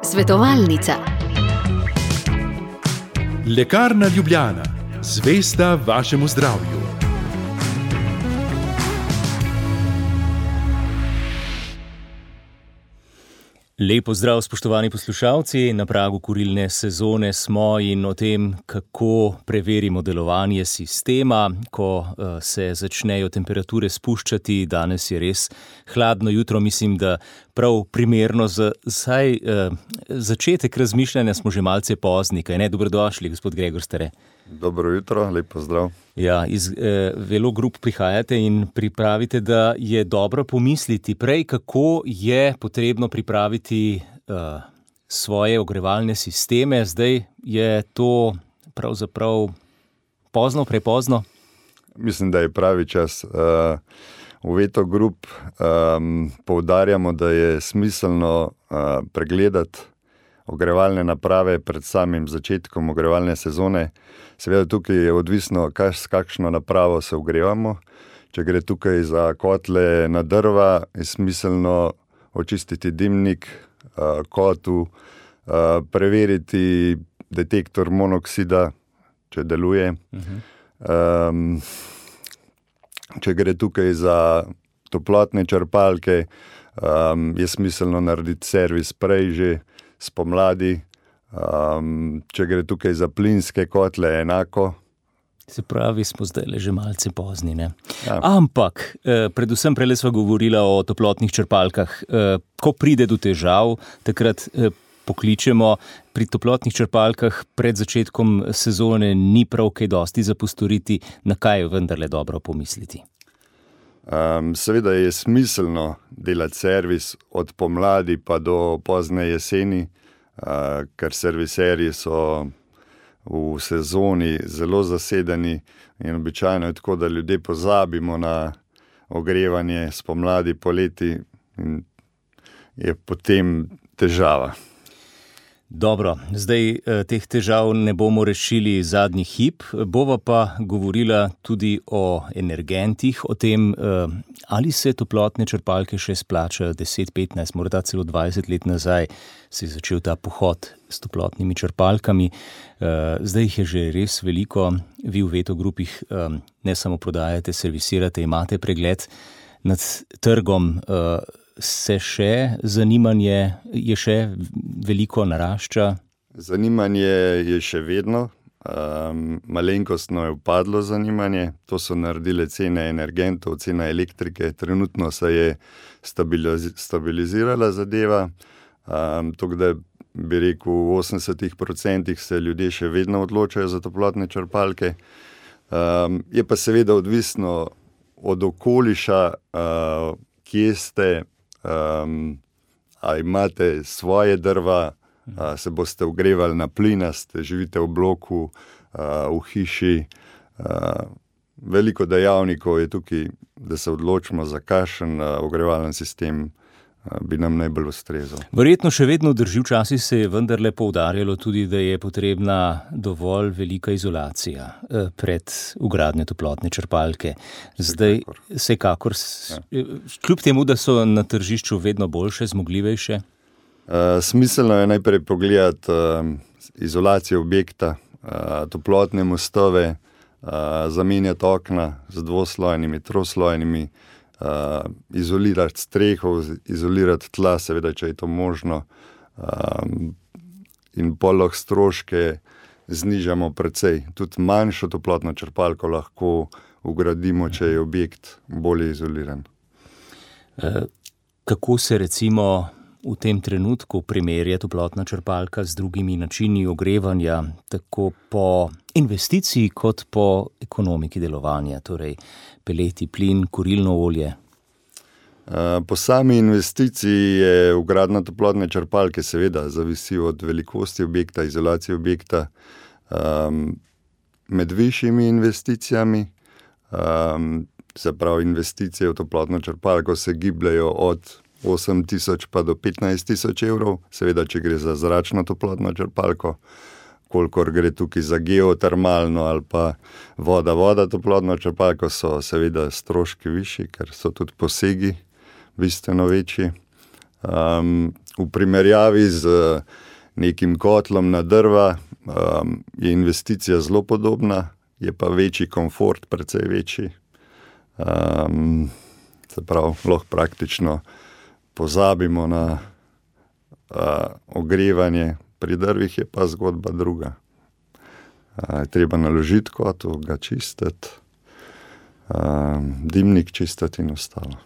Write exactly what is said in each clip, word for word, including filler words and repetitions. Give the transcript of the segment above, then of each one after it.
Svetovalnica. Lekarna Ljubljana, zvesta vašemu zdravju. Lep pozdrav, spoštovani poslušalci. Na pragu kurilne sezone smo in o tem, kako preverimo delovanje sistema, ko se začnejo temperature spuščati. Danes je res hladno jutro, mislim, da prav primerno za saj eh, začetek razmišljanja smo že malce pozni, kaj ne? Dobrodošli, gospod Gregor Stare. Dobro jutro, lep pozdrav. Ja, iz eh, Velo Group prihajate in pripravite, da je dobro pomisliti prej, kako je potrebno pripraviti eh, svoje ogrevalne sisteme. Zdaj je to pravzaprav pozno, prepozno? Mislim, da je pravi čas. Uh, v Velo Group um, poudarjamo, da je smiselno uh, pregledati ogrevalne naprave pred samim začetkom ogrevalne sezone. Seveda tukaj je odvisno, s kakšno napravo se ogrevamo. Če gre tukaj za kotle na drva, je smiselno očistiti dimnik, kotlu, preveriti detektor monoksida, če deluje. Uh-huh. Če gre tukaj za toplotne črpalke, je smiselno narediti servis prej že spomladi. Um, če gre tukaj za plinske kotle, enako. Se pravi, smo zdaj že malce pozni, ne? Ja. Ampak, eh, predvsem prele sva govorila o toplotnih črpalkah. Eh, ko pride do težav, takrat eh, pokličemo. Pri toplotnih črpalkah pred začetkom sezone ni prav kaj dosti za postoriti, na kaj je vendarle dobro pomisliti. Um, seveda je smiselno delati servis od pomladi pa do pozne jeseni, uh, ker serviserji so v sezoni zelo zasedeni in običajno je tako, da ljudje pozabimo na ogrevanje spomladi, poleti in je potem težava. Dobro, zdaj eh, teh težav ne bomo rešili zadnji hip, bova pa govorila tudi o energentih, o tem, eh, ali se toplotne črpalke še splačajo. deset, petnajst, morda celo dvajset let nazaj se je začel ta pohod s toplotnimi črpalkami. Eh, zdaj jih je že res veliko. Vi v Velo Groupih eh, ne samo prodajate, servisirate, imate pregled nad trgom. Eh, se še zanimanje je še veliko narašča? Zanimanje je še vedno. Um, malenkostno je upadlo zanimanje. To so naredile cene energentov, cena elektrike. Trenutno se je stabiliz- stabilizirala zadeva. Um, tako da bi rekel, v osemdesetih procentih se ljudje še vedno odločajo za toplotne črpalke. Um, je pa seveda odvisno od okoliša, uh, kje ste, Um, a imate svoje drva, a se boste ogrevali na plin, ste živite v bloku, a, v hiši. A, veliko dejavnikov je tukaj, da se odločimo za kakšen ogrevalni sistem bi nam najbolj ustrezal. Verjetno še vedno drži, včasih se je vendarle poudarjalo tudi, da je potrebna dovolj velika izolacija pred vgradnjo toplotne črpalke. Zdaj, vsekakor, ja. Kljub temu, da so na tržišču vedno boljše, zmogljivejše? Uh, smiselno je najprej pogledati uh, izolacijo objekta, uh, toplotne mostove, uh, zamenjati okna z dvoslojnimi, troslojnimi, Uh, izolirati streho, izolirati tla, seveda, če je to možno, um, in poleg stroške znižamo precej. Tudi manjšo toplotno črpalko lahko vgradimo, če je objekt bolje izoliran. Uh, kako se recimo v tem trenutku primerja toplotna črpalka z drugimi načini ogrevanja, tako po investiciji kot po ekonomiki delovanja, torej peleti, plin, kurilno olje? Po sami investiciji je vgradnja toplotne črpalke seveda zavisi od velikosti objekta, izolacije objekta. Um, med višjimi investicijami, um, se pravi investicije v toplotno črpalko se gibljajo od osem tisoč pa do petnajst tisoč evrov, seveda, če gre za zračno toplotno črpalko. Kolikor gre tukaj za geotermalno ali pa voda-voda toplotno črpalko, so seveda stroški višji, ker so tudi posegi bistveno večji. Um, v primerjavi z nekim kotlom na drva um, je investicija zelo podobna, je pa večji komfort, precej večji. Um, se pravi, lahko praktično pozabimo na uh, ogrevanje, pri drvih je pa zgodba druga. Uh, treba naložiti kotlo, ga čistiti, uh, dimnik čistiti in ostalo.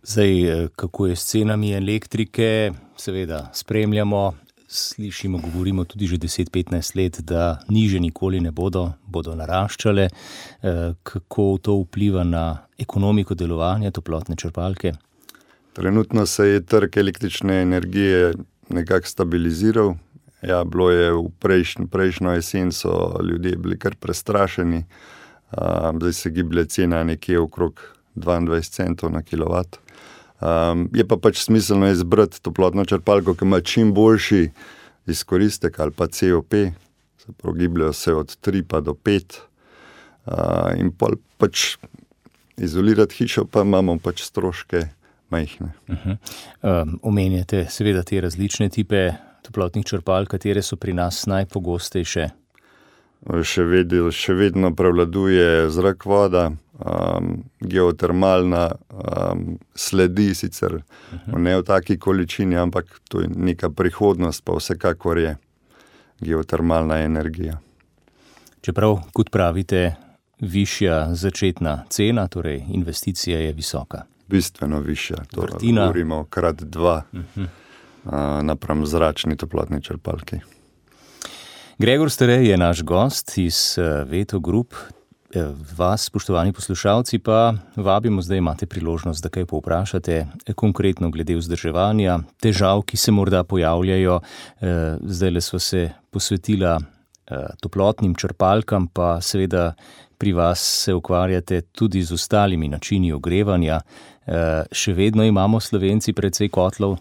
Zdaj, kako je s cenami elektrike, seveda spremljamo, slišimo, govorimo tudi že deset petnajst let, da niže nikoli ne bodo, bodo naraščale. Kako to vpliva na ekonomiko delovanja toplotne črpalke? Trenutno se je trg električne energije nekako stabiliziral. Ja, bilo je v prejšnjo, prejšnjo jesen, so ljudje bili kar prestrašeni. Zdaj se giblje cena nekje okrog dvaindvajset centov na kilovat. Um, je pa pač smiselno izbrati toplotno črpalko, ki ima čim boljši izkoristek ali pa C O P, se pravi, gibljajo se od tri pa do pet, uh, in pol pač izolirati hišo, pa imamo pač stroške majhne. Uh-huh. Um, omenjate seveda te različne tipe toplotnih črpalk, katere so pri nas najpogostejše? Še, ved, še vedno prevladuje zrak, voda, um, geotermalna um, sledi sicer uh-huh. ne v taki količini, ampak to je neka prihodnost, pa vsekakor je geotermalna energija. Čeprav, kot pravite, višja začetna cena, torej investicija je visoka. Bistveno višja, to Vrtina. Govorimo krat dva uh-huh. uh, napram zračni toplotni črpalki. Gregor Stare je naš gost iz Veto Group. Vas, spoštovani poslušalci, pa vabimo, zdaj imate priložnost, da kaj povprašate, konkretno glede vzdrževanja, težav, ki se morda pojavljajo. Zdajle sva se posvetila toplotnim črpalkam, pa seveda pri vas se ukvarjate tudi z ostalimi načini ogrevanja. Še vedno imamo Slovenci precej kotlov?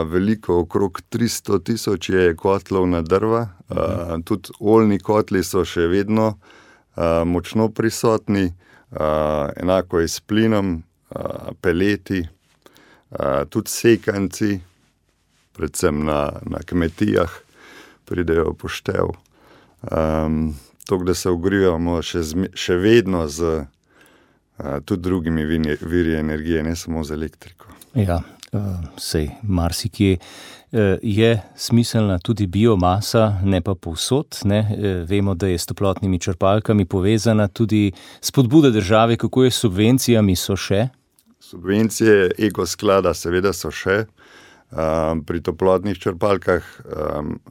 Veliko, okrog tristo tisoč je kotlov na drva, uh, tudi oljni kotli so še vedno uh, močno prisotni, uh, enako je s plinom, uh, peleti, uh, tudi sekanci, predvsem na, na kmetijah, pridejo poštev. Um, to, da se ogrivamo še, zme, še vedno z uh, tudi drugimi viri, viri energije, ne samo z elektriko. Ja. Sej marsikje je smiselna tudi biomasa, ne pa povsod. Ne? Vemo, da je s toplotnimi črpalkami povezana tudi spodbuda države, kako je s subvencijami, so še? Subvencije ekosklada seveda so še. Pri toplotnih črpalkah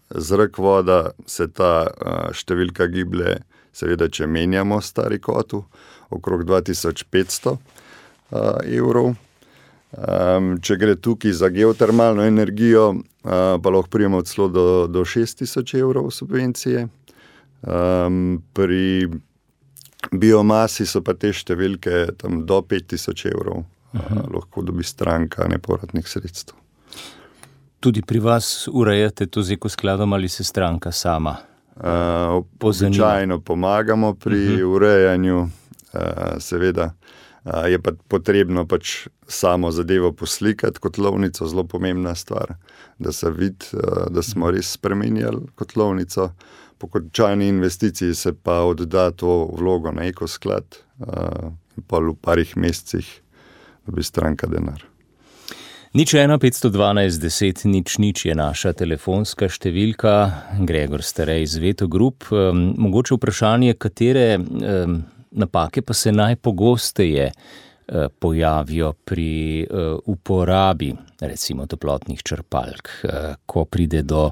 zrak, voda se ta številka giblje, seveda, če menjamo stari kotel, okrog dva tisoč petsto evrov. Um, če gre tukaj za geotermalno energijo, uh, pa lahko prijemo celo do, do šest tisoč evrov subvencije. Um, pri biomasi so pa te številke tam do pet tisoč evrov, uh, lahko dobi stranka nepovratnih sredstev. Tudi pri vas urejate to z ekoskladom ali se stranka sama? Uh, običajno pomagamo pri uh-huh. urejanju, uh, seveda. Uh, je pa potrebno pač samo zadevo poslikati, kotlovnico, zelo pomembna stvar, da se vidi, uh, da smo res spremenjali kotlovnico. Po končani investiciji se pa odda to vlogo na ekosklad uh, in pa v parih mesecih dobi stranka denar. Nič ena petsto dvanajst deset nič nič je naša telefonska številka. Gregor Stare iz Veto Group. Um, mogoče vprašanje, katere um, napake pa se najpogosteje eh, pojavijo pri eh, uporabi, recimo, toplotnih črpalk, eh, ko pride do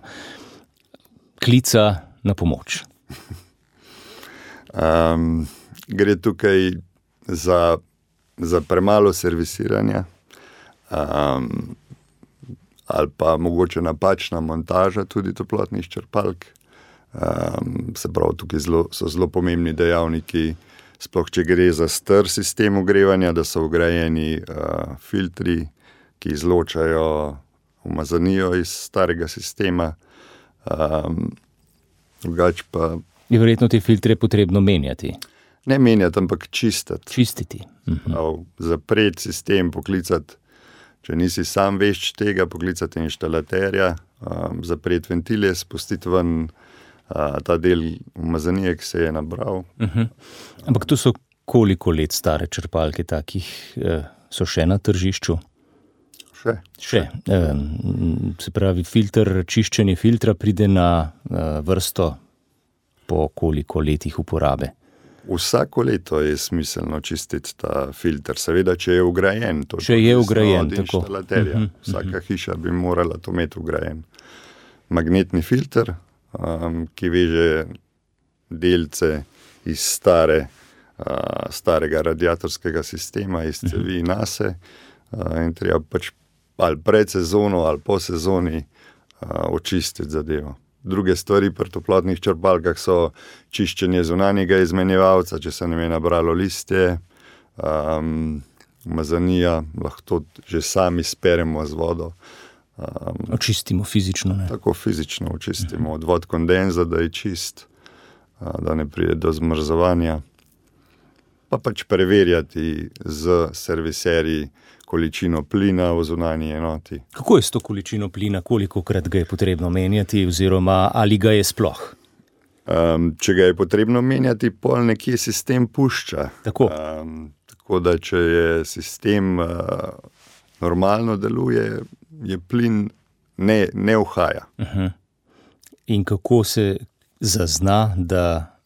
klica na pomoč? Um, gre tukaj za, za premalo servisiranja um, ali pa mogoče napačna montaža tudi toplotnih črpalk. Um, se pravi, tukaj zelo, so zelo pomembni dejavniki, sploh če gre za star sistem ogrevanja, da so vgrajeni uh, filtri, ki izločajo umazanijo iz starega sistema. Um, drugač pa... Je verjetno te filtre potrebno menjati? Ne menjati, ampak čistiti. Čistiti. Uh-huh. Zapreti sistem, poklicati Če nisi sam vešč tega, poklicati inštalaterja, um, zapreti ventile, spustiti ven uh, ta del umazanije, ki se je nabral. Uh-huh. Ampak to so koliko let stare črpalke takih, uh, so še na tržišču? Še. Še. Um, se pravi, filter, čiščenje filtra pride na uh, vrsto po koliko letih uporabe? Vsako leto je smiselno čistiti ta filter, seveda, če je vgrajen. To če je vgrajen, od tako. Inštalaterja. Uh-huh, Vsaka uh-huh. hiša bi morala to imeti vgrajen. Magnetni filter, um, ki veže delce iz stare, uh, starega radiatorskega sistema, iz cevi uh-huh. nase, uh, in treba pač ali pred sezono ali po sezoni uh, očistiti zadevo. Druge stvari pri toplotnih črpalkah so čiščenje zunanjega izmenjevalca, če se nam je nabralo listje, um, umazanija, lahko to že sami speremo z vodo. Um, očistimo fizično, ne? Tako fizično očistimo, odvod kondenza, da je čist, da ne pride do zmrzovanja. Pa pač preverjati z serviserji količino plina v zunanji enoti. Kako je s to količino plina, kolikokrat ga je potrebno menjati oziroma ali ga je sploh? Um, če ga je potrebno menjati, pol nekje sistem pušča. Tako. Um, tako da, če je sistem uh, normalno deluje, je plin ne, ne uhaja. Uh-huh. In kako se zazna, da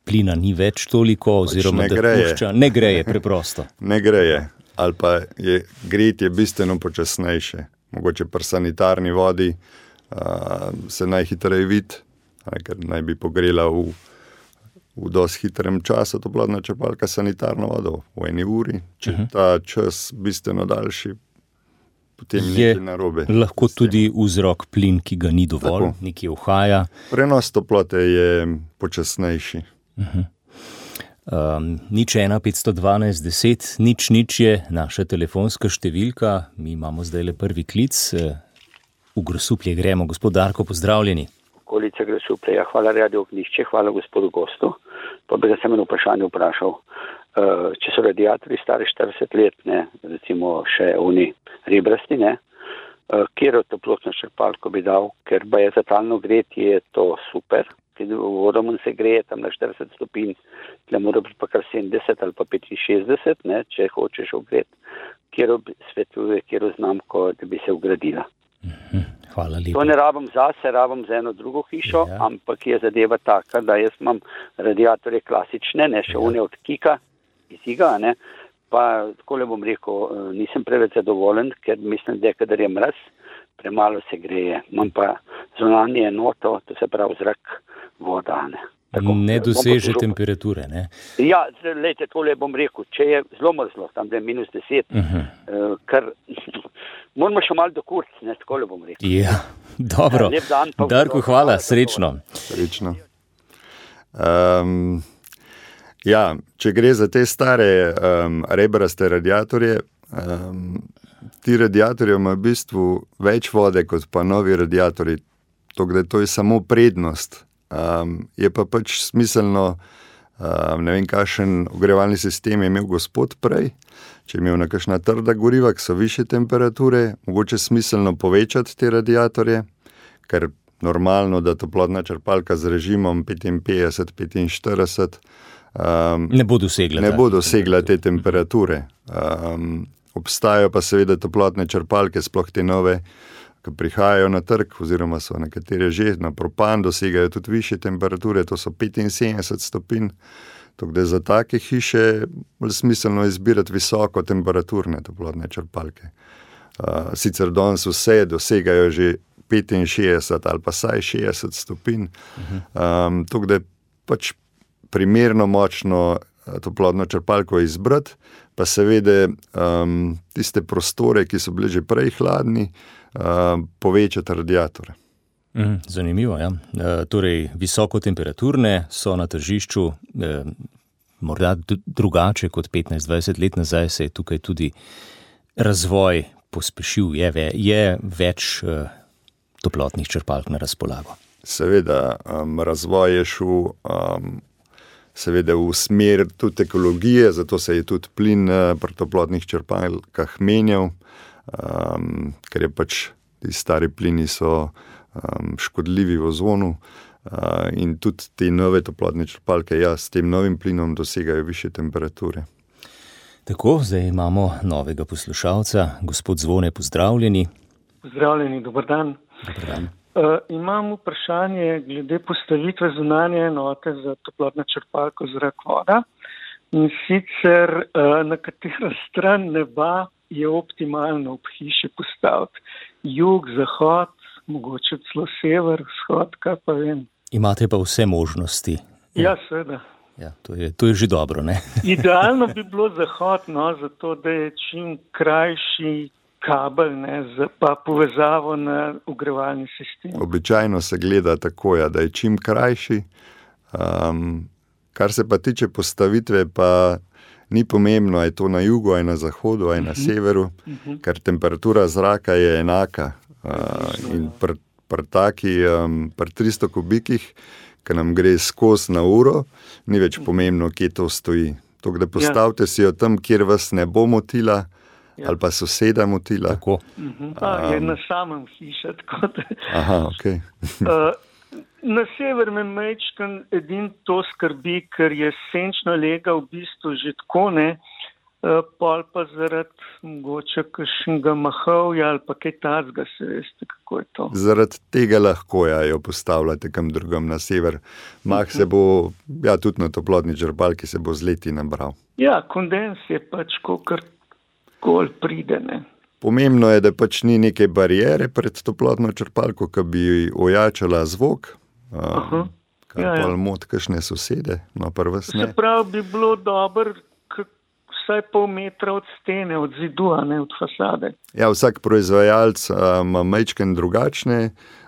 plina ni več toliko oziroma pač da greje. pušča? Ne greje preprosto. Ne greje. Ali pa je gretje bistveno počasnejše. Mogoče pri sanitarni vodi uh, se najhitreje vidi, ker naj bi pogrela v, v dosti hitrem času toplotna črpalka sanitarno vodo v eni uri. Če uh-huh. ta čas bistveno daljši, potem je nekaj narobe. Lahko tudi vzrok plin, ki ga ni dovolj, Tako. nekje uhaja. Prenos toplote je počasnejši. Uh-huh. Um, nič ena petsto dvanajst deset, nič nič je naša telefonska številka. Mi imamo zdaj le prvi klic. V Grosuplje gremo. Gospod Darko, pozdravljeni. Okolica Grosuplje, ja, hvala Radio Ognjišče, hvala gospodu gostu. Pa bi ga sem eno vprašanje vprašal. Uh, če so radiatorji stari štirideset let, ne, recimo še oni rebrasti, ne, uh, kjer toplotno črpalko bi dal, ker ba je za talno gretje je to super. Vodom se greje tam na štirideset stopinj, tle mora biti pa kar sedemdeset ali pa petinšestdeset, ne, če hočeš ogreti, kjer svetuje, kjer znamko, da bi se ugradila. Hvala lepa. To ne rabim zase, rabim za eno drugo hišo, ja. Ampak je zadeva taka, da jaz imam radiatorje klasične, ne, še ja. One od Kika, iz Iga, ne, pa tako le bom rekel, nisem preveč zadovoljen, ker mislim, da kadar je mraz, premalo se greje. Imam pa zunanje enoto, to se pravi zrak, voda, ne. Tako, ne doseže temperature, ne? Ja, lejte, tole bom rekel, če je zelo mrzlo, tam da je minus deset, uh-huh. uh, kar moramo še malo do kurc, ne, tako le bom rekel. Ja, dobro. Lep dan, pa Darko, hvala, srečno. Srečno. Um, ja, če gre za te stare um, rebraste radiatorje, um, ti radiatorji imajo v bistvu več vode kot pa novi radiatorji, tako da to je samo prednost. Um, je pa pač smiselno, um, ne vem, kakšen ogrevalni sistem je imel gospod prej, če je imel na kakšna trda goriva, ki so više temperature, mogoče smiselno povečati te radiatorje, ker normalno, da toplotna črpalka z režimom petinpetdeset petinštirideset um, ne bo dosegla, ne bo dosegla te temperature. Um, obstajajo pa seveda toplotne črpalke, sploh te nove, ki prihajajo na trg, oziroma so nekatere že na propan, dosegajo tudi više temperature, to so petinsedemdeset stopinj, tako da za take hiše bolj smiselno izbirati visoko temperaturne toplotne črpalke. Uh, sicer danes vse dosegajo že petinšestdeset ali pa saj šestdeset stopinj, um, tako da pač primerno močno toplotno črpalko izbrati, pa seveda um, tiste prostore, ki so bili že prej hladni, Uh, povečati radiatore. Mm, zanimivo, ja. E, torej, visoko temperaturne so na tržišču, e, morda d- drugače kot petnajst dvajset let nazaj se je tukaj tudi razvoj pospešil, je, ve, je več e, toplotnih črpalk na razpolago. Seveda, um, razvoj je šel um, seveda v smer tudi ekologije, zato se je tudi plin uh, pri toplotnih črpalkah menjal. um, ker je pač ti stari plini so um, škodljivi v ozonu uh, in tudi te nove toplotne črpalke, ja, s tem novim plinom dosegajo više temperature. Tako, zdaj imamo novega poslušalca. Gospod Zvone, pozdravljeni. Pozdravljeni, dober dan. Dober dan. Uh, imam vprašanje glede postavitve zunanje enote za toplotno črpalko zrak voda. In sicer uh, na katero stran neba je optimalno ob hiši postaviti. Jug, zahod, mogoče celo sever, vzhod, kaj pa vem. Imate pa vse možnosti. Ja, seveda. Ja, to je, to je že dobro, ne? Idealno bi bilo zahod, no, zato da je čim krajši kabel, ne, pa povezavo na ogrevalni sistem. Običajno se gleda tako, ja, da je čim krajši. Um, kar se pa tiče postavitve, pa ni pomembno, je to na jugu, je na zahodu, je na uh-huh. severu, uh-huh. ker temperatura zraka je enaka. Uh, in pri pr taki, um, pri tristo kubikih, ki nam gre skozi na uro, ni več pomembno, kje to stoji. To, da postavite ja. si jo tam, kjer vas ne bo motila, ja. ali pa soseda motila. Tako. Uh-huh. A, je um, na samem hiša, tako da. Aha, ok. uh, na sever me mečkan edin to skrbi, ker je senčna lega v bistvu že tako, ne, uh, pol pa zaradi mogoče kakšnega mahovja ali pa kaj tazga, se veste, kako je to. Zaradi tega lahko ja, jo postavljate kam drugam na sever. Mah uh-huh. se bo, ja, tudi na toplotni črpalki se bo z leti nabral. Ja, kondens je pač kakor kol pride, ne. Pomembno je, da pač ni neke barijere pred toplotno črpalko, ki bi ojačala zvok, um, kar ja, ja. pa mod kakšne sosede, no pa vas ne. Se pravi, bi bilo dobro vsaj pol metra od stene, od zidu, a ne od fasade. Ja, vsak proizvajalec ima um, majčken drugačne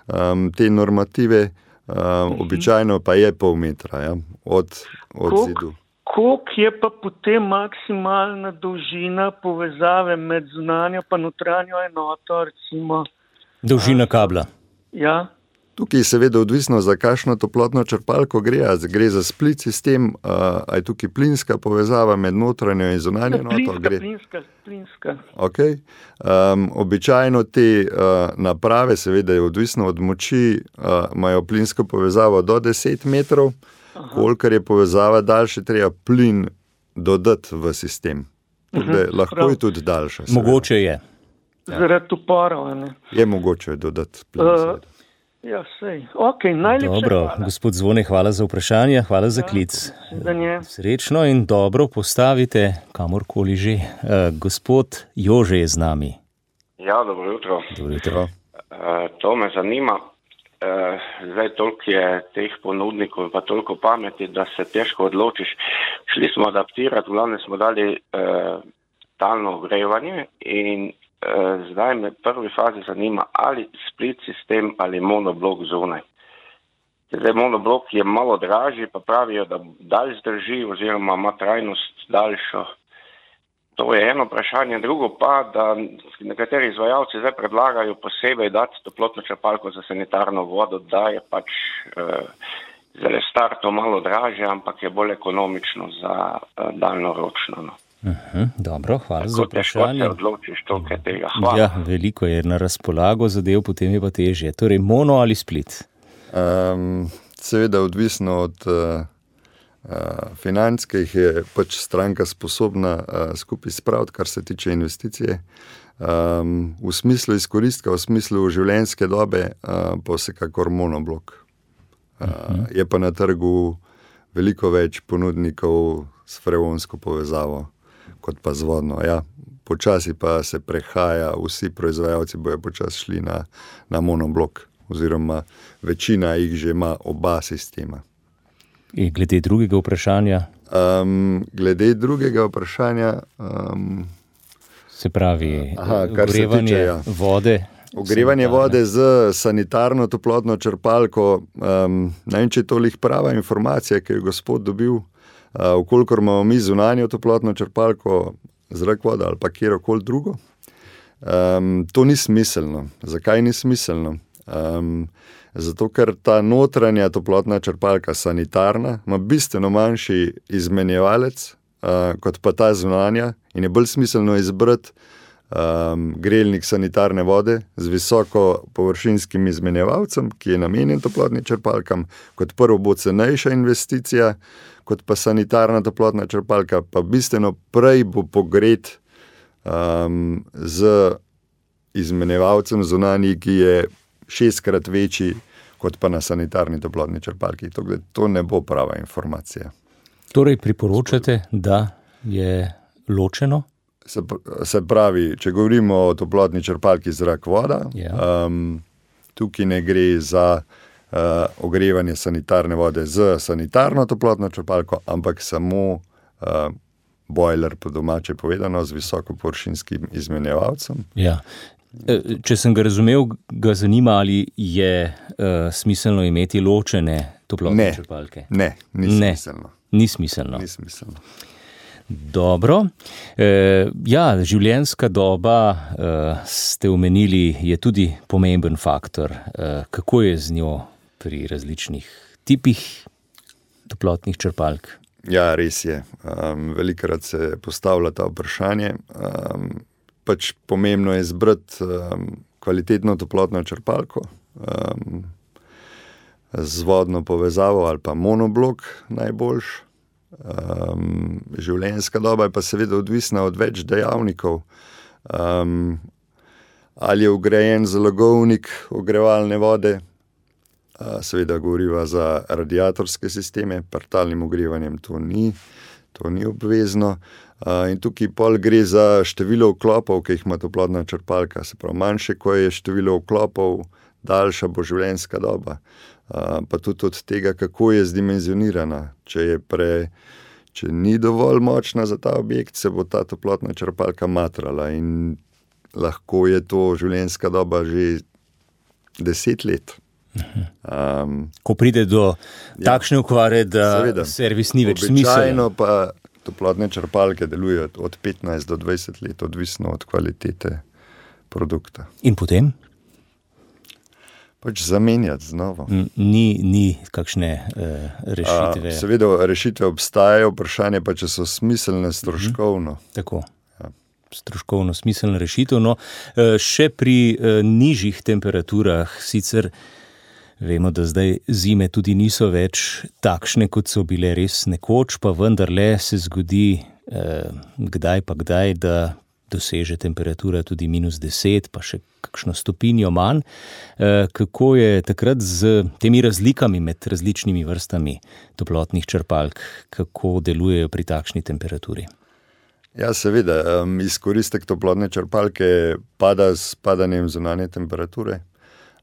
um, te normative, um, uh-huh. običajno pa je pol metra, ja, od, od Kok? zidu. Koliko je pa potem maksimalna dolžina povezave med zunanjo pa notranjo enoto, recimo? Dolžina kabla. Ja. Tukaj je seveda odvisno, za kakšno toplotno črpalko gre, a gre za split sistem, a je tukaj plinska povezava med notranjo in zunanjo enoto. Plinska, gre... plinska, plinska. Ok. Um, običajno te uh, naprave, seveda je odvisno od moči, uh, imajo plinsko povezavo do deset metrov, kolikor je povezava daljše, treba plin dodati v sistem. Tukaj uh-huh. lahko Prav. je tudi daljša. Seveda. Mogoče je. Ja. Zaradi uporov, ne? Je mogoče dodati plin. Uh, ja, sej. Ok, najlepše Dobro, hvala. Gospod Zvone, hvala za vprašanje, hvala za klic. Ja, Srečno in dobro postavite, kamorkoli že. Uh, gospod Jože je z nami. Ja, dobro jutro. Dobro jutro. Uh, to me zanima. Uh, zdaj toliko je teh ponudnikov in pa toliko pameti, da se težko odločiš. Šli smo adaptirati, v glavnem smo dali uh, talno ogrevanje in uh, zdaj me v prvi fazi zanima, ali split sistem ali monoblok zunaj. Zdaj monoblok je malo dražji, pa pravijo, da dalj zdrži oziroma ima trajnost daljšo. To je eno vprašanje. Drugo pa, da nekateri izvajalci zdaj predlagajo posebej dati toplotno črpalko za sanitarno vodo, da je pač eh, zdaj starto malo dražje, ampak je bolj ekonomično za eh, daljnoročno. No. Uh-huh, dobro, hvala Tako za vprašanje. Težko se odločiš toliko tega. Hvala. Ja, veliko je na razpolago zadev, potem je pa težje. Torej, mono ali split? Um, seveda odvisno od uh, uh, financ, ki jih je pač stranka sposobna uh, skupaj spraviti, kar se tiče investicije. Um, v smislu izkoristka, v smislu življenjske dobe, uh, pa vsekakor monoblok. Uh, uh-huh. Je pa na trgu veliko več ponudnikov s freonsko povezavo, kot pa z vodno. Ja, počasi pa se prehaja, vsi proizvajalci bojo počasi šli na, na monoblok, oziroma večina jih že ima oba sistema. In glede drugega vprašanja? Um, glede drugega vprašanja... Um, se pravi, aha, ogrevanje se tiče, ja. vode. Ogrevanje sanitarne. vode z sanitarno toplotno črpalko. Um, ne vem, če je tolih prava informacija, ki je gospod dobil. Uh, vkolikor imamo mi zunanjo toplotno črpalko, zrak voda ali pa kjerokoli drugo. Um, to ni smiselno. Zakaj ni smiselno? Um, zato, ker ta notranja toplotna črpalka sanitarna ima bistveno manjši izmenjevalec uh, kot pa ta zunanja in je bolj smiselno izbrati um, grelnik sanitarne vode z visoko površinskim izmenjevalcem, ki je namenjen toplotnim črpalkam. Kot prvo bo cenejša investicija, kot pa sanitarna toplotna črpalka, pa bistveno prej bo pogret um, z izmenjevalcem zunanji, ki je šestkrat večji kot pa na sanitarni toplotni črpalki. To, to ne bo prava informacija. Torej priporočate, da je ločeno? Se, se pravi, če govorimo o toplotni črpalki zrak voda, ja. um, tukaj ne gre za uh, ogrevanje sanitarne vode z sanitarno toplotno črpalko, ampak samo uh, bojler, po domače povedano, z visoko površinskim izmenjevalcem. Ja. Če sem ga razumel, ga zanima, ali je uh, smiselno imeti ločene toplotne ne, črpalke. Ne, ni ne, smiselno. Ni smiselno. Ni smiselno. Dobro. E, ja, življenjska doba, e, ste omenili, je tudi pomemben faktor. E, kako je z njo pri različnih tipih toplotnih črpalk? Ja, res je. Um, velikokrat se postavlja ta vprašanje. Um, pač pomembno je izbrati um, kvalitetno toplotno črpalko um, z vodno povezavo ali pa monoblok najboljš. Um, življenjska doba je pa seveda odvisna od več dejavnikov. Um, ali je vgrajen zalogovnik ogrevalne vode, uh, seveda govoriva za radiatorske sisteme, partalnim ogrevanjem to ni, to ni obvezno. Uh, in tukaj pol gre za število vklopov, ki jih ima toplotna črpalka. Se pravi, manjše, ko je število vklopov, daljša bo življenjska doba. Uh, pa tudi od tega, kako je zdimenzionirana. Če je pre, če ni dovolj močna za ta objekt, se bo ta toplotna črpalka matrala in lahko je to življenjska doba že deset let. Um, Ko pride do ja, takšne okvare, da seveda, servis ni več smiseln. Običajno pa toplotne črpalke delujejo od petnajst do dvajset let, odvisno od kvalitete produkta. In potem? Pač zamenjati znova. Ni, ni kakšne uh, rešitve. A, seveda rešitve obstajajo, vprašanje pa, če so smiselne stroškovno. Uh-huh. Tako, ja. Stroškovno smiselna rešitev. No, uh, še pri uh, nižjih temperaturah, sicer vemo, da zdaj zime tudi niso več takšne, kot so bile res nekoč, pa vendarle se zgodi uh, kdaj pa kdaj, da doseže temperatura tudi minus deset, pa še kakšno stopinjo manj. Kako je takrat z temi razlikami med različnimi vrstami toplotnih črpalk, kako delujejo pri takšni temperaturi? Ja, seveda, um, izkoristek toplotne črpalke pada s padanjem zunanje temperature.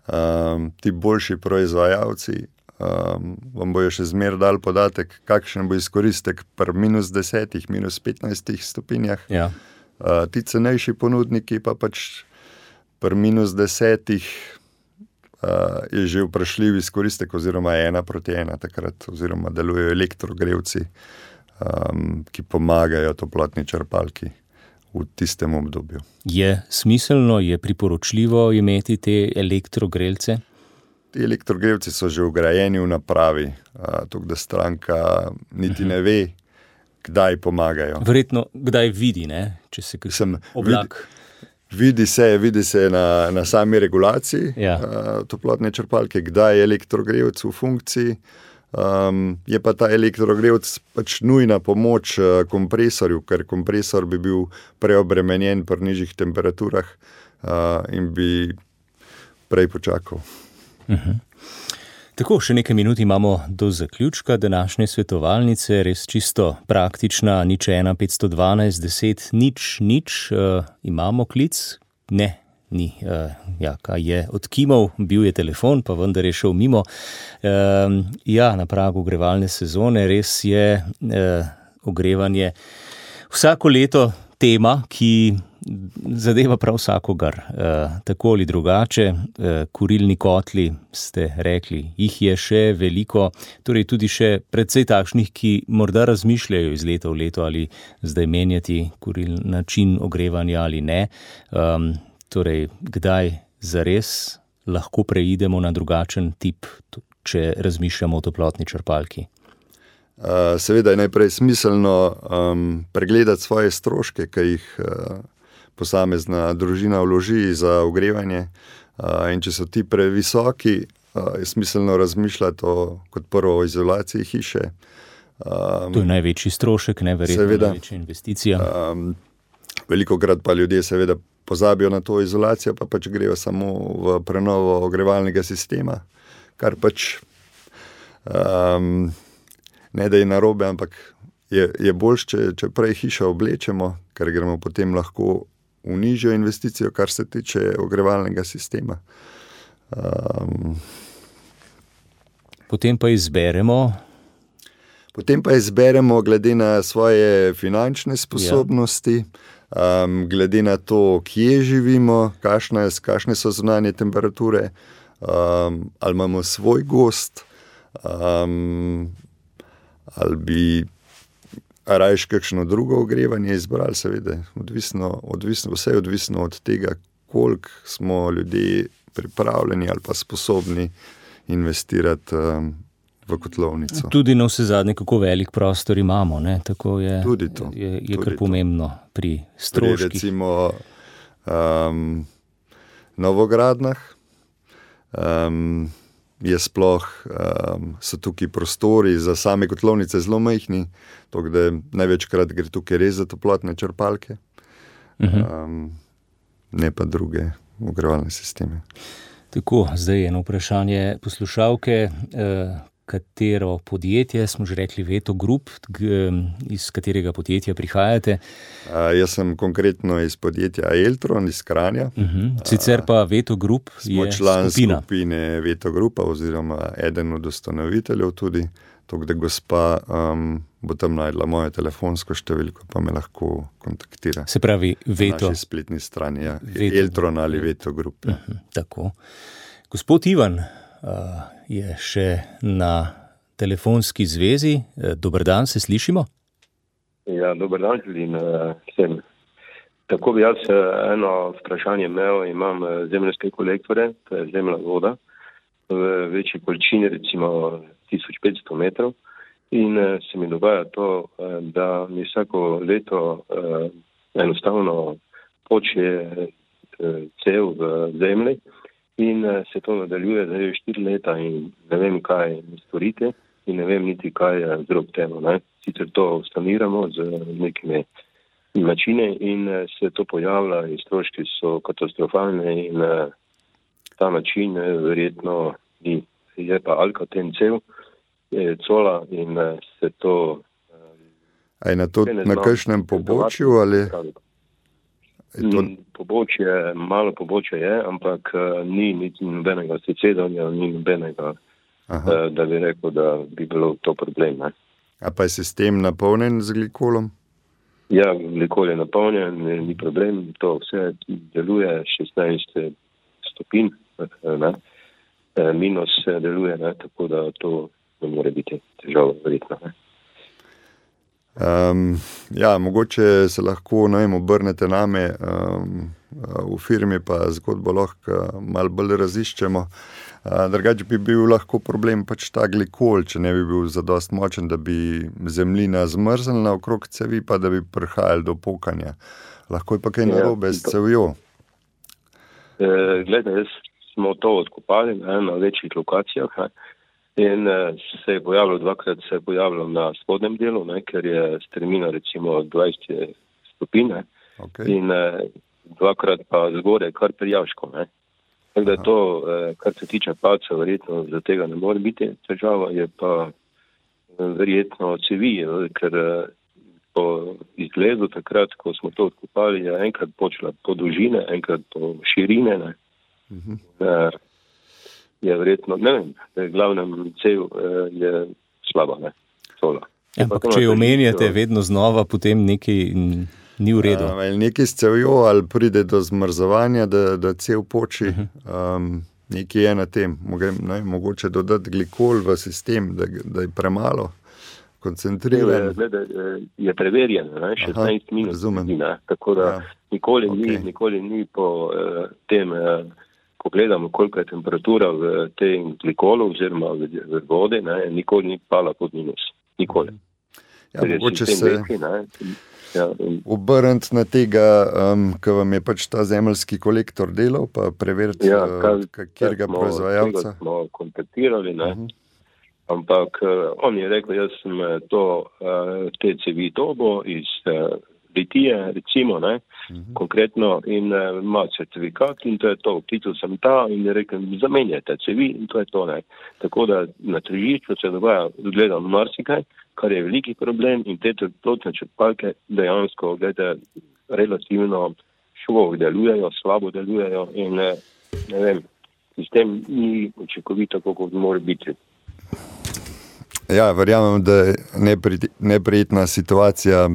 Um, ti boljši proizvajalci um, vam bojo še zmer dal podatek, kakšen bo izkoristek pri minus desetih, minus petnajstih stopinjah. Ja. Uh, ti cenejši ponudniki pa pač pri minus desetih uh, je že vprašljiv izkoristek oziroma ena proti ena takrat, oziroma delujejo elektrogrevci, um, ki pomagajo toplotni črpalki v tistem obdobju. Je smiselno, je priporočljivo imeti te elektrogrelce? Ti elektrogrevci so že vgrajeni v napravi, uh, tako da stranka niti uh-huh. ne ve, kdaj pomagajo. Verjetno, kdaj vidi, ne? Če se kakšen oblak... Vidi, vidi se, vidi se na, na sami regulaciji ja. uh, toplotne črpalke, kdaj je elektrogrevc v funkciji. Um, je pa ta elektrogrevc pač nujna pomoč uh, kompresorju, ker kompresor bi bil preobremenjen pri nižjih temperaturah uh, in bi prej počakal. Uh-huh. Tako, še nekaj minut imamo do zaključka današnje svetovalnice, res čisto praktična, nič ena, petsto dvanajst, deset, nič, nič, uh, imamo klic? Ne, ni, uh, ja, kaj je odkimal, bil je telefon, pa vendar je šel mimo. Uh, ja, na pragu ogrevalne sezone res je uh, ogrevanje vsako leto tema, ki zadeva prav vsakogar, e, tako ali drugače. E, kurilni kotli, ste rekli, jih je še veliko, torej tudi še precej takšnih, ki morda razmišljajo iz leta v leto, ali zdaj menjati kuril način ogrevanja ali ne. E, torej, kdaj zares lahko preidemo na drugačen tip, če razmišljamo o toplotni črpalki? Uh, seveda je najprej smiselno um, pregledati svoje stroške, ki jih uh, posamezna družina vloži za ogrevanje. In če so ti previsoki, je smiselno razmišljati o, kot prvo o izolaciji hiše. Um, to je največji strošek, neverjetno seveda, največja investicija. Um, velikokrat pa ljudje seveda pozabijo na to izolacijo, pa pač grejo samo v prenovo ogrevalnega sistema, kar pač um, ne da je narobe, ampak je, je boljš, če, če prej hišo oblečemo, ker gremo potem lahko v nižjo investicijo, kar se tiče ogrevalnega sistema. Um, potem pa izberemo Potem pa izberemo glede na svoje finančne sposobnosti, ja. um, glede na to, kje živimo, kakšne, kakšne so zunanje temperature, um, ali imamo svoj gozd, um, ali bi rajš kakšno drugo ogrevanje izbrali, seveda, odvisno, odvisno, vse je odvisno od tega, koliko smo ljudje pripravljeni ali pa sposobni investirati um, v kotlovnico. Tudi na vse zadnje, kako velik prostor imamo, ne? Tako je, tudi to, je, je tudi kar pomembno pri stroških. Pri recimo um, novogradnah um, je sploh, um, so tukaj prostori za same kotlovnice zelo majhni, tako da največkrat gre tukaj res za toplotne črpalke, um, ne pa druge ogrevalne sisteme. Tako, zdaj eno vprašanje poslušalke. Eh, Katero podjetje, smo že rekli Veto Group, iz katerega podjetja prihajate? A, jaz sem konkretno iz podjetja Eltron, iz Kranja. Uh-huh. Sicer pa Veto Group je skupina. Smo član skupine Veto Grupa oziroma eden od ustanoviteljev tudi, tako da gospa um, bo tam najdla mojo telefonsko številko, pa me lahko kontaktira. Se pravi Veto. Na naši spletni strani, ja. Eltron ali Veto Group. Ja. Uh-huh. Tako. Gospod Ivan, Uh, je še na telefonski zvezi. Dober dan, se slišimo? Ja, dober dan, želim vsem. Tako bi jaz eno vprašanje imel, imam zemljske kolektore, to je zemlja voda, v večji količini, recimo tisoč petsto metrov, in se mi dogaja to, da mi vsako leto enostavno počne cev v zemlji, in se to nadaljuje zdaj štiri leta in ne vem, kaj storite in ne vem niti, kaj je vzrok temu. Ne? Sicer to saniramo z nekimi načine in se to pojavlja in stroški so katastrofalne in ta način verjetno ni. Je pa Alcatel cev, je cola in se to... A je na, to, na kakšnem pobočju ali... To... Pobočje, malo pobočje je, ampak uh, ni niti nobenega secedanja, ni nobenega, uh, da bi rekel, da bi bilo to problem. Ne? A pa je sistem napolnjen z glikolom? Ja, glikol je napolnjen, ni problem, to vse deluje, šestnajst stopinj, ne? Minus deluje, ne? Tako da to ne more biti težava verjetno. Ne? Um, ja, mogoče se lahko najem obrnete name um, v firmi, pa zgodbo lahko malo bolj raziščemo. Uh, drugače bi bil lahko problem pač ta glikol, če ne bi bil zadost močen, da bi zemljina zmrznila okrog cevi, pa da bi prihajali do pokanja. Lahko je pa kaj narobe s cevjo. E, Glede, smo to odkopali ne, na večjih lokacijah, ne. In se je pojavilo, dvakrat se je pojavilo na spodnjem delu, ne, ker je strmina recimo dvajset stopinj, okay. In dvakrat pa zgore kar prijavško. Ne. Tako da je to, kar se tiče palca, verjetno za tega ne more biti težava, je pa verjetno cevi, ker po izgledu takrat, ko smo to odkopali, je enkrat počela po dolžine, enkrat po širine, ne. Uh-huh. Ne, je verjetno, ne vem, glavnem cev je slaba, ne, sola. Ja, ampak če jo omenjate vedno znova, potem nekaj ni v redu. Ali nekaj s cevjo, ali pride do zmrzovanja, da, da cev poči, um, nekaj je na tem. Moge, ne, mogoče dodati glikol v sistem, da, da je premalo koncentriran. Je, je preverjen, ne, šestnajst minut, ne, tako da ja. nikoli, okay. ni, nikoli ni po uh, tem... Uh, Pogledamo, koliko je temperatura v tem glikolu oziroma v, v vodi, ne, nikoli ni pala pod minus. Nikoli. Ja, mogoče se, veki, Ja, obrniti na tega, um, ki vam je pač ta zemeljski kolektor delal, pa preveriti, ja, uh, katerega proizvajalca. Smo kontaktirali, ne? Uh-huh. Ampak uh, on je rekel, jaz sem to, uh, te cevi dobo iz uh, litije, recimo, ne, uh-huh. konkretno, in uh, ima certifikat in to je to, vplitil sem ta in je rekel, zamenjajte cevi in to je to, ne. Tako da na tržišču se dogaja, gledam marsikaj, kar je veliki problem in te toplotne črpalke dejansko, glede, relativno šlo delujejo, slabo delujejo in ne, ne vem, sistem ni učinkovit tako, kot mora biti. Ja, verjamem, da je neprijetna situacija,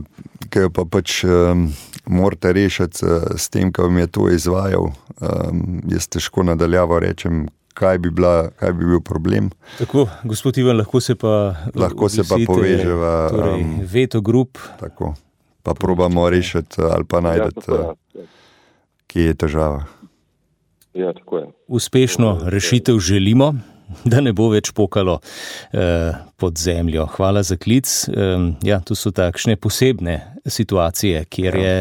ki jo pa pač um, morate rešiti uh, s tem, ki vam je to izvajal. Um, jaz težko nadaljavo rečem, kaj bi, bila, kaj bi bil problem. Tako, gospod Ivan, lahko se pa lahko se pa poveževa. Torej, um, Veto Group. Tako, pa probamo rešiti ali pa najdeti, ja, ja. kje je težava. Ja, tako je. Uspešno rešitev želimo, da ne bo več pokalo eh, pod zemljo. Hvala za klic. Eh, ja, to so takšne posebne situacije, kjer je,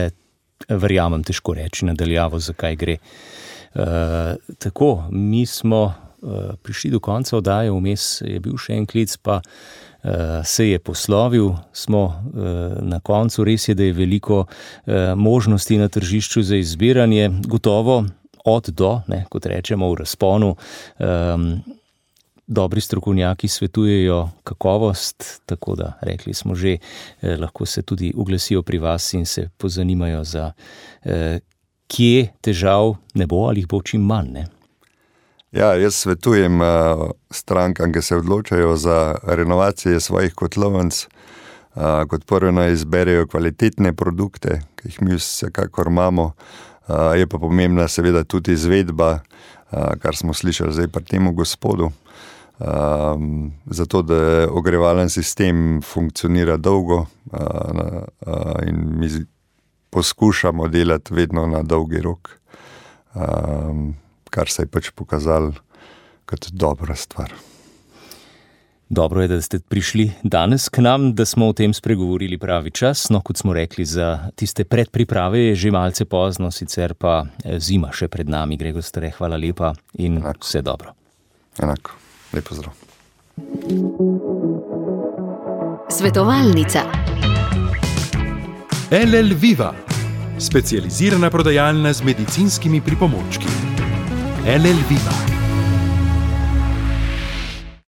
verjamem, težko reči nadaljavo, zakaj gre. Eh, tako, mi smo eh, prišli do konca oddaje, vmes je bil še en klic, pa eh, se je poslovil. Smo eh, na koncu, res je, da je veliko eh, možnosti na tržišču za izbiranje. Gotovo od do, ne, kot rečemo v razponu, eh, dobri strokovnjaki svetujejo kakovost, tako da, rekli smo že, eh, lahko se tudi uglasijo pri vas in se pozanimajo za eh, kje težav ne bo ali jih bo čim manj, ne? Ja, jaz svetujem uh, strankam, ki se odločajo za renovacije svojih kotlovnic, uh, kot prvo naj izberejo kvalitetne produkte, ki jih mi vsekakor imamo. Uh, je pa pomembna seveda tudi izvedba, uh, kar smo slišali zdaj pri temu gospodu. Um, zato, da ogrevalen sistem funkcionira dolgo uh, uh, in mi poskušamo delati vedno na dolgi rok, um, kar se je pač pokazalo kot dobra stvar. Dobro je, da ste prišli danes k nam, da smo o tem spregovorili pravi čas. No, kot smo rekli, za tiste predpriprave je že malce pozno, sicer pa zima še pred nami. Gregor Stare, hvala lepa in enako. Vse dobro. Enako. Lep pozdrav. Svetovalnica. L L Viva, specializirana prodajalna z medicinskimi pripomočki. L L Viva.